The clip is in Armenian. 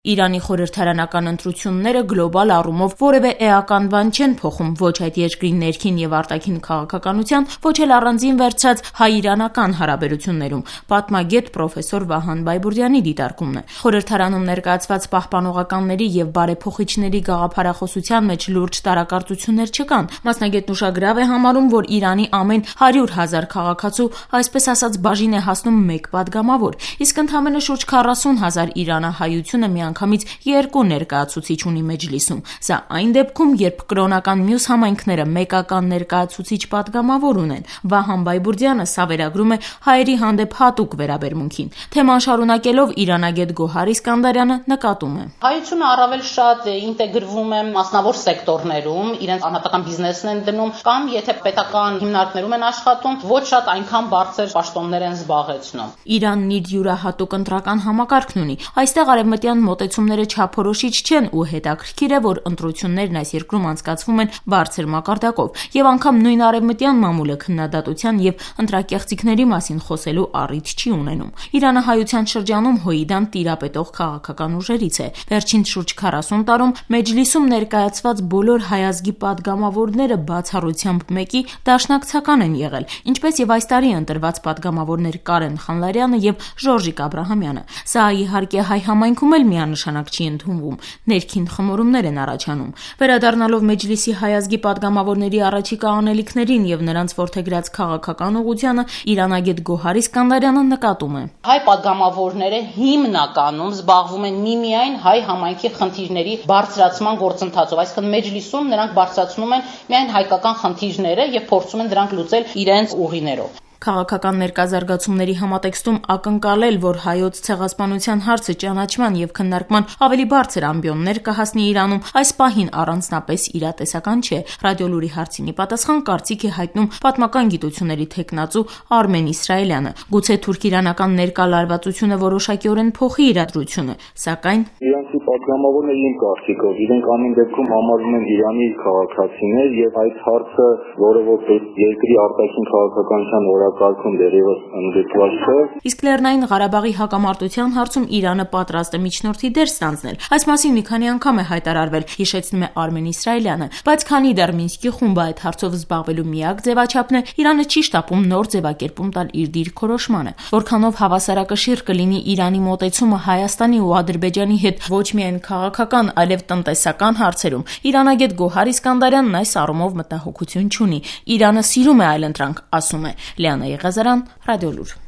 Իրանի խորհրդարանական ընտրությունները գլոբալ առումով որևէ էական բան չեն փոխում ոչ այդ երկրի ներքին եւ արտաքին քաղաքականության, ոչ էլ առանձին վերցրած հայ-իրանական հարաբերություններում, պատմագետ պրոֆեսոր Վահան Բայբուրդյանի դիտարկումն է։ Խորհրդարանում ներկայացված պահպանողականների եւ բարեփոխիչների գաղափարախոսության մեջ լուրջ տարակարծություններ չկան։ Մասնագետն ուշագրավ է համարում, որ Իրանի ամեն 100,000 քաղաքացու, այսպես ասած, բաժին է հասնում մեկ падգամավոր, իսկ ընդամենը շուրջ 40,000 իրանահայությունը միանգամից երկու ներկայացուցիչ ունի մեջլիսում։ Սա այն դեպքում, երբ կրոնական մյուս համայնքները մեկական ներկայացուցիչ падգամավոր ունեն։ Վահան Բայբուրդյանը սա վերագրում է հայերի հանդեպ հատուկ վերաբերմունքին։ Թեման շարունակելով իրանագետ Գոհար Իսկանդարյանը նկատում է. Հայությունը առավել շատ ինտեգրվում է մասնավոր սեկտորներում, իրենց անհատական բիզնեսն են դնում, կամ եթե պետական հիմնարկներում են աշխատում, ոչ շատ այնքան բարձր պաշտոններ են զբաղեցնում։ Իրանն իր յուրահատուկ ընտրական համակարգն ունի։ Այստեղ արևմտյան մոտեցումները չափորոշիչ չեն ու հետաքրքիր է, որ ընտրություններն այս երկրում անցկացվում են բարձր մակարդակով եւ անգամ նույն արևմտյան մամուլը քննադատության եւ ընտրակեղծիքների մասին խոսելու առիթ չի ունենում։ Իրանահայության շրջանում Հոիդան տիրապետող քաղաքական ուժերից է։ Վերջին շուրջ 40 տարում մեջլիսում ներկայացված բոլոր հայազգի падգամավորները բացառությամբ մեկի դաշնակցական են եղել, ինչպես եւ այս տարի ընտրված падգամավորներ Կարեն Խանլարյանը եւ Ժորժիկ Աբրահամյանը։ Սա իհարկե հայ համայնքում էլ միանշանակ չի ընդունվում, ներքին խմորումներ են առաջանում։ Վերադառնալով մեջլիսի հայազգի падգամավորների առաջիկա անելիքներին եւ նրանց որդեգրած քաղաքական ուղղությանը, իրանագետ Գոհար Իսկանդարյանը նկատում է. Հայ падգամավորները հիմնականում զբաղվում են միմիայն հայ համայնքի խնդիրների բարձրացման գործընթացով, այսինքն մեջլիսում նրանք բարձրացնում են միայն հայկական խնդիրները եւ փորձում են դրանք լուծել իրենց ուղիներով։ Քաղաքական ներկազարգացումների համատեքստում ակնկալել, որ հայոց ցեղասպանության հարցը ճանաչման եւ քննարկման ավելի բարձր ամբիոններ կհասնի Իրանում, այս պահին առանձնապես իրատեսական չէ։ Ռադիոլուրի հարցինի պատասխան կարծիք է հայտնում պատմական գիտությունների թեկնածու Արմեն Իսրայելյանը։ Գուցե թուրք-իրանական ներկա լարվածությունը որոշակիորեն փոխի իրադրությունը, սակայն իրանցի падգամավորները իմ կարծիքով իրենք ամեն դեպքում համարվում են Իրանի քաղաքացիներ եւ այդ հարցը, որը որպես երկրի արտաքին քաղաքականության օրակարգում դեռևս ընդգրկված չէ։ Իսկ Լեռնային Ղարաբաղի հակամարտության հարցում Իրանը պատրաստ է միջնորդի դեր ստանձնել։ Այս մասին մի քանի անգամ է հայտարարվել, հիշեցնում է Արմեն Իսրայելյանը, բայց քանի դեռ Մինսկի խումբը այդ հարցով զբաղվելու միակ ձևաչափն է, Իրանը չի շտապում նոր ձևակերպում տալ իր դիրքորոշմանը։ Որքանով հավասարակշիռ կլինի Իրանի մոտեցումը Հայաստանի ու Ադրբեջանի հետ ոչ միայն քաղաքական, այլև տնտեսական հարցերում, իրանագետ Գոհար Իսկանդարյանն այս առումով մտահոգություն չունի։ Իրանը սիրում է այլընտրանք, ասում է։ Լիանա Եղազարյան, Ռադիոլուր։